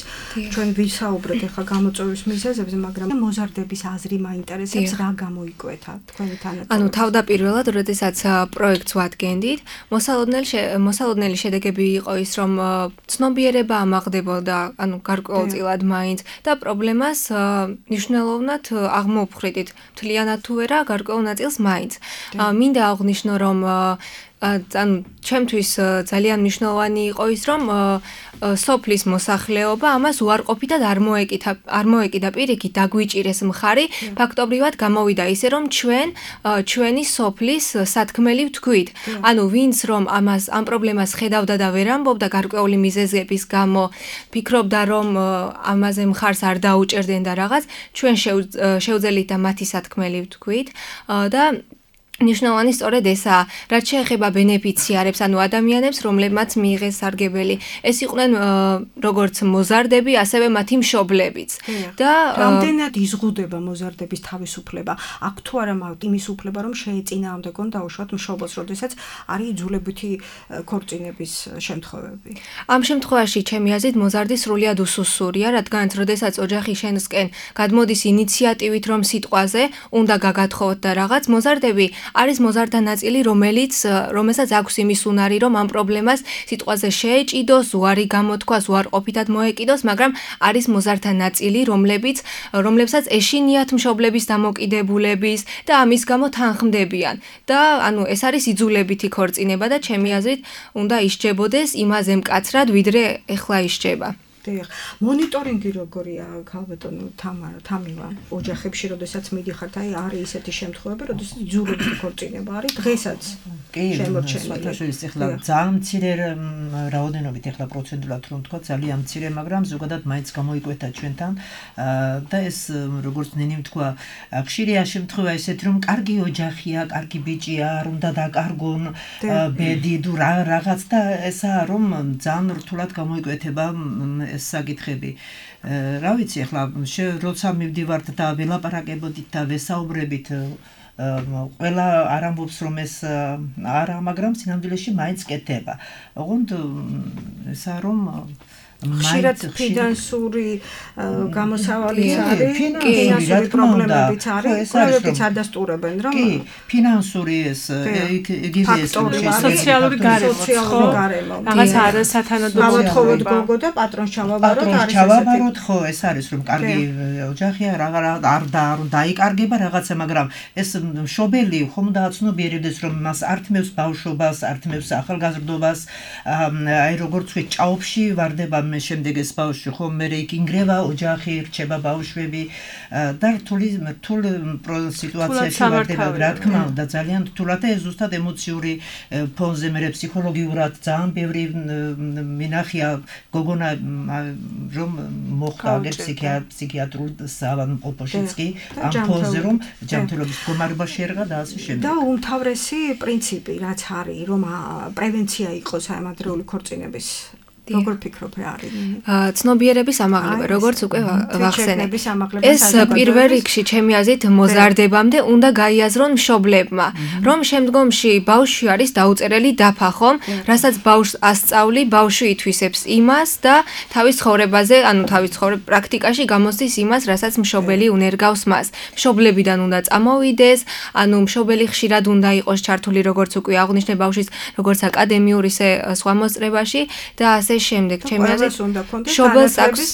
ჩვენ ვისაუბრეთ ახლა გამოწვევის მიზეზებზე, მაგრამ მოზარდების აზრი მაინტერესებს, რა გამოიკვეთა თქვენი თანატოლები? ანუ თავდაპირველად, როდესაც პროექტს ვადგენდით, მოსალოდნელი შედეგები იყო ის, რომ ცნობიერება ამაღდებოდა, ანუ გარკვეულწილად მაინც და პრობლემას მნიშვნელოვნად აღმოფხრიდით. მთლიანად თუ არა, გარკვეულ ნაწილს მაინც. მინდა აღვნიშნო, რომ ანუ ჩემთვის ძალიან მნიშვნელოვანი იყო ის, რომ სოფლის მოსახლეობა ამას უარყოფითად არ მოეკიდა პირიქით დაგვიჭირეს მხარი, ფაქტობრივად გამოვიდა ისე, რომ ჩვენი სოფლის სათქმელი ვთქვით. ანუ ვინც რომ ამ პრობლემას ხედავდა და ვერ ამბობდა გარკვეული მიზეზების გამო, ფიქრობდა რომ ამაზე მხარს არ დაუჭერდნენ და რაღაც, ჩვენ შევძელით და მათი სათქმელი ვთქვით და ნიშნავანი სწორედ ესაა, რაც შეეხება ბენეფიციარებს, ანუ ადამიანებს, რომლებმაც მიიღეს სარგებელი. ეს იყვნენ როგორც მოზარდები, ასევე მათი მშობლებიც. და რამდენად იზღუდება მოზარდების თავისუფლება? აქ თუ არა მაქვს იმის უფლება, რომ შეეწინააღმდეგონ დაუშვათ მშობელს, როდესაც არის იძულებითი ქორწინების შემთხვევები. ამ შემთხვევაში ჩემი აზრით მოზარდი სრულიად უსუსურია, რადგანაც როდესაც ოჯახი შენსკენ გადმოდის ინიციატივით, რომ სიტყვაზე უნდა გაგათხოვოთ და რაღაც, მოზარდები არის მოზარდა ნაწილი, რომელსაც აქვს იმის უნარი, რომ ამ პრობლემას სიტყვაზე შეეჭიდოს, უარი გამოთქვას, უარყოფითად მოეკიდოს, მაგრამ არის მოზარდა ნაწილი, რომლებსაც ეშინიათ მშობლების დამოკიდებულების და ამის გამო თანხმდებიან. და ანუ ეს არის იძულებითი ქორწინება და ჩემი აზრით უნდა ისჯებოდეს იმაზე მკაცრად, ვიდრე ეხლა ისჯება. დიახ, მონიტორინგი როგორია, ქალბატონო თამივა, ოჯახებში, როდესაც მიდიხართ, არის ისეთი შემთხვევები, როდესაც იძულებითი ქორწინება არის დღესაც შემორჩენილი. ეხლა ძალიან მცირე რაოდენობით, ეხლა პროცენტულად რომ თქვა, ძალიან მცირე, მაგრამ ზოგადად მაინც გამოიკვეთა ჩვენთან და ეს როგორც ნინი თქვა, ხშირია შემთხვევა ესეთი, რომ კარგი ოჯახია, კარგი ბიჭია, არ უნდა დაკარგონ ბედი თუ რაღაც და ესაა, რომ ძალიან რთულად გამოიკვეთება ეს საკითხები. რა ვიცი, ახლა როცა მივდივართ და ველაპარაკებოდით და ვესაუბრებით, ყველა არ ამბობს რომ ეს არა, მაგრამ სინამდვილეში მაინც კეთდება. ოღონდ ესა რომ ხშირად ფინანსური გამოსავალიც არის, ფინანსური პრობლემებიც არის, ყველაფერიც ადასტურებენ, რომ კი, ფინანსური ეს იგივე ეს სოციალური გარემო. რაღაც არა სათანადო ავათხოვოთ გოგო და პატრონს ჩავაბაროთ, არის ჩავაბაროთ, ხო, ეს არის რომ კარგი ოჯახია, არ დაიკარგება რაღაცა, მაგრამ ეს მშობელი ხომ დააცნობიერებდეს რომ მას ართმევს ბავშვობას, ართმევს ახალგაზრდობას, აი როგორც ვთქვი, ჭაობში ვარდება მე შემდეგ ეს ბავშვი ხომ მე იქ ინგრევა ოჯახი, რჩება ბავშვები და რთული სიტუაციაში ვარდება, რა თქმა უნდა, ძალიან რთულად და ეს ზუსტად ემოციური ფონზე მე ფსიქოლოგიურად ძალიან ბევრი მინახია გოგონა რომ მოხდა აგერ ფსიქიატრულ საავადმყოფოშიც კი ამ ფონზე რომ ჯანმრთელობის მდგომარეობა შეერღა და ასე შემდეგ. და უმთავრესი პრინციპი რაც არის, რომ პრევენცია იყოს ამ ადრეული ქორწინების როგორ ფიქრობ რა არის? ცნობიერების ამაღლება, როგორც უკვე ვახსენე. ეს პირველ რიგში ჩემი აზრით მოზარდებამდე უნდა გაიაზრონ მშობლებმა, რომ შემდგომში ბავშვი არის დაუწერელი დაფა ხომ, რასაც ბავშვს ასწავლი, ბავშვი ითვისებს იმას და თავის ცხოვრებაზე, ანუ თავის პრაქტიკაში გამოსდის იმას, რასაც მშობელი უნერგავს მას. მშობლებიდან უნდა წამოვიდეს, ანუ მშობელი ხშირად უნდა იყოს ჩართული, როგორც უკვე აღვნიშნე ბავშვის, როგორც აკადემიურ ისე სხვა მოსწრებაში და ასე შემდეგ ჩემი აზრით მშობელს აქვს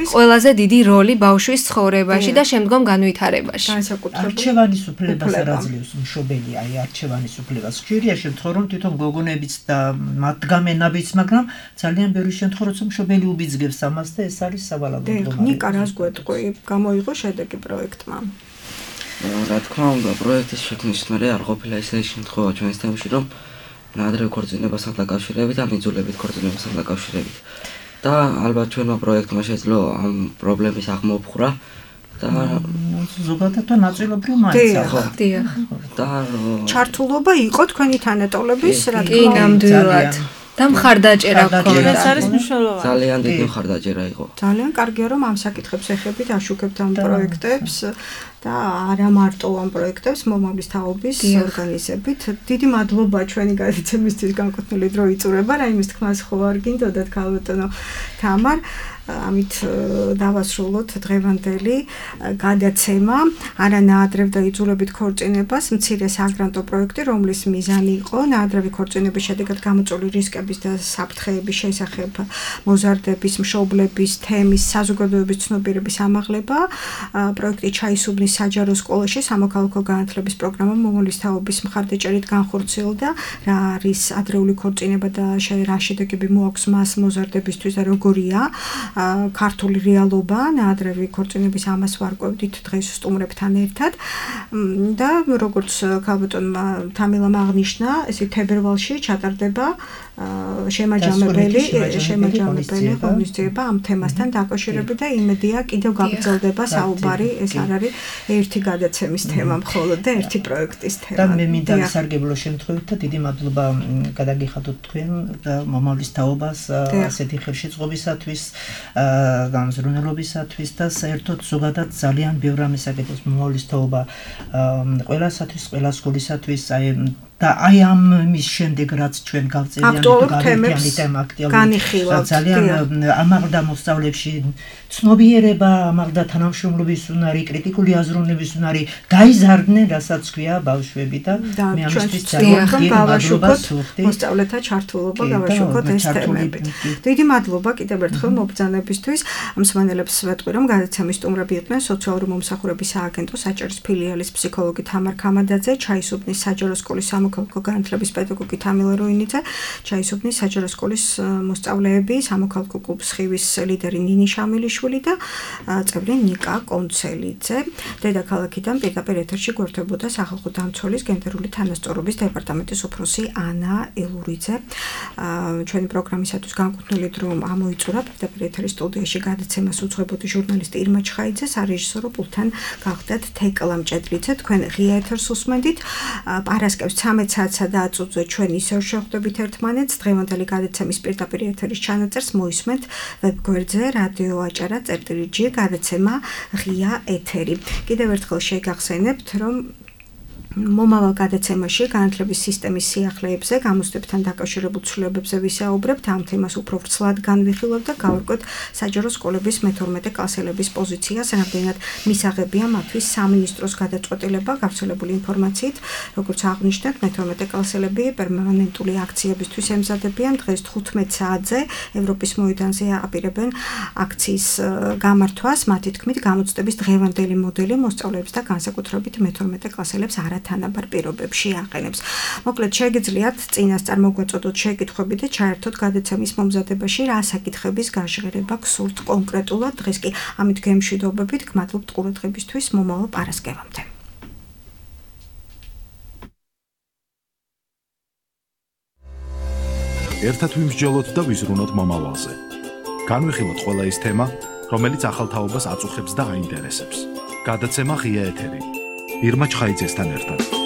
ყველაზე დიდი როლი ბავშვის ცხოვრებაში და შემდგომ განვითარებაში. არჩევანის უფლებას არ აძლევს მშობელი, აი არჩევანის უფლებას. ხშირია შემთხვევა რომ თვითონ გოგონებიც და მათგამენებიც, მაგრამ ძალიან ბევრი შემთხვევა როცა მშობელი უბიძგებს ამას და ეს არის სავალალო პრობლემა. ნიკა რას გვეტყვი, გამოიღო შედეგი პროექტმა? რა თქმა უნდა, პროექტის შექმნის მერე არ ყოფილა ისეთი შემთხვევა ჩვენს თემში, რომ ნაადრევ ქორწინებასთან დაკავშირებით, ან იძულებით ქორწინებასთან დაკავშირებით. და ალბათ ჩვენმა პროექტმა შეძლო ამ პრობლემის აღმოფხვრა და ზოგადად ნაწილობრივ მაინც ხო. დიახ. და ჩართულობა იყო თქვენი თანატოლების, რა თქმა უნდა. და მხარდაჭერა გქონდა. ეს არის მნიშვნელოვანი. ძალიან დიდი მხარდაჭერა იყო. ძალიან კარგია რომ ამ საკითხებს ეხებით აშუქებთ ამ პროექტებს და არა მარტო ამ პროექტებს მომავლის თაობის ორგანიზებით. დიდი მადლობა ჩვენი გადაცემისთვის განკუთვნილი დრო იწურება, რაიმის თქმას ხო არ გინდოდათ ქალბატონო თამარ. ამით დავასრულოთ დღევანდელი გადაცემა არა ნაადრევ და იძულებით ქორწინებას მცირე საგრანტო პროექტი, რომლის მიზანი იყო ნაადრევი ქორწინების შედეგად გამოწვეული რისკების და საფრთხეების შესახებ მოზარდების, მშობლების, თემის, საზოგადოების ცნობიერების ამაღლება. პროექტი ჩაისუბნის საჯარო სკოლაში სამოქალაქო განათლების პროგრამა მომავლის თაობის მხარდაჭერით განხორციელდა. რა არის ადრეული ქორწინება და რა შედეგები მოაქვს მას მოზარდებისთვის და როგორია ქართული რეალობა ნაადრევი ქორწინების ამას ვარკვევდით დღეს სტუმრებთან ერთად და როგორც ქალბატონმა თამილამ აღნიშნა, ესე თებერვალში ჩატარდება შემაჯამებელი ღონისძიება ამ თემასთან დაკავშირებით და იმედია კიდევ გაგრძელდება საუბარი, ეს არ არის ერთი გადაცემის თემა მხოლოდ და ერთი პროექტის თემა. და მე მინდა სარგებლო შემთხვევით და დიდი მადლობა გადაგიხადოთ თქვენ და მომავლის თაობას ასეთი ხელშეწყობისათვის და მზრუნველობისათვის და საერთოდ ზოგადად ძალიან ბევრ რამეს აკეთებს მომავლის თაობა ყველასათვის, ყველა სკოლისათვის და აი ამ მის შემდეგ რაც ჩვენ გავწერიანით ამ აქტუალურ ძალიან ამაღლდა მოსწავლეებში ცნობიერება, ამაღლდა თანამშრომლობის უნარი, კრიტიკული აზროვნების უნარი, გაიზარდნენ, რასაც ქვია ბავშვები და მე ამისთვის ძალიან გავაშუქოთ მოსწავლეთა ჩართულობა, გავაშუქოთ ეს თემები. დიდი მადლობა კიდევ ერთხელ მობრძანებისთვის. მსმენელებს ვეტყვი, რომ გადაცემის სტუმრები იყვნენ სოციალური მომსახურების სააგენტოს საჭერის ფილიალის ფსიქოლოგი თამარ ქამადაძე, ჩაისუბნის საჯარო სკოლის სამოქალაქო განათლების პედაგოგი თამილა როინიძე, ჩაისუბნის საჯარო სკოლის მოსწავლეები, სამოქალაქო კლუბის ხივის ლიდერი ნინი შამილიშვილი და წევრი ნიკა კონცელიძე. დედაქალაქიდან პირდაპირ ეთერში გვერდებოდა სახალხო დამცველის გენდერული თანასწორობის დეპარტამენტის უფროსი ანა ელურიძე. ჩვენი პროგრამისათვის განკუთვნილი დრო ამოიწურა პირდაპირ ეთერის სტუდიაში გადაცემას უძღვებოდი ჟურნალისტი ირმა ჩხაიძე, სარეჟისორო პულტთან გახდათ თეკლა მჭედლიძე. თქვენ ღია ეთერს უსმენდით. პარასკევს 13 საათსა და აწუძე ჩვენ ისევ შევხვდებით ერთმანეთს. დღევანდელი გადაცემის პირდაპირ ეთერის ჩანაწერს მოისმენთ ვებგვერდზე რადიო აჭარა წერტილი G გადაცემა ღია ეთერი. კიდევ ერთხელ შეგახსენებთ, რომ მომავალ გადაცემაში განათლების სისტემის სიახლეებზე, გამოცდებთან დაკავშირებულ ცვლილებებზე ვისაუბრებთ, ამ თემას უფრო ვრცლად განვიხილავთ და გავარკვევთ საჯარო სკოლების მე-12 კლასელების პოზიციას, რამდენად მისაღებია მათთვის სამინისტროს გადაწყვეტილება. გავრცელებული ინფორმაციით, როგორც აღნიშნეთ, მე-12 კლასელები პერმანენტული აქციებისთვის ემზადებიან. დღეს 15 საათზე ევროპის მოედანზე აპირებენ აქციის გამართვას. მათი თქმით, გამოცდების დღევანდელი მოდელი მოსწავლეებს და განსაკუთრებით მე-12 კლასელებს თანაბარ პირობებში აყენებს. მოკლედ შეგიძლიათ წინასწარ მოგვაწოდოთ შეკითხვები და ჩაერთოთ გადაცემის მომზადებაში, რა საკითხების გაჟღერება გსურთ კონკრეტულად. დღეს კი ამით გემშვიდობებით, გმადლობთ ყურადღებისთვის, მომავალ პარასკევამდე. ერთად ვიმსჯელოთ და ვიზრუნოთ მომავალზე. განვიხილოთ ყველა ის თემა, რომელიც ახალ თაობას აწუხებს და აინტერესებს. გადაცემა ღია ეთერი. ირმა ჩხაიძესთან ერთად.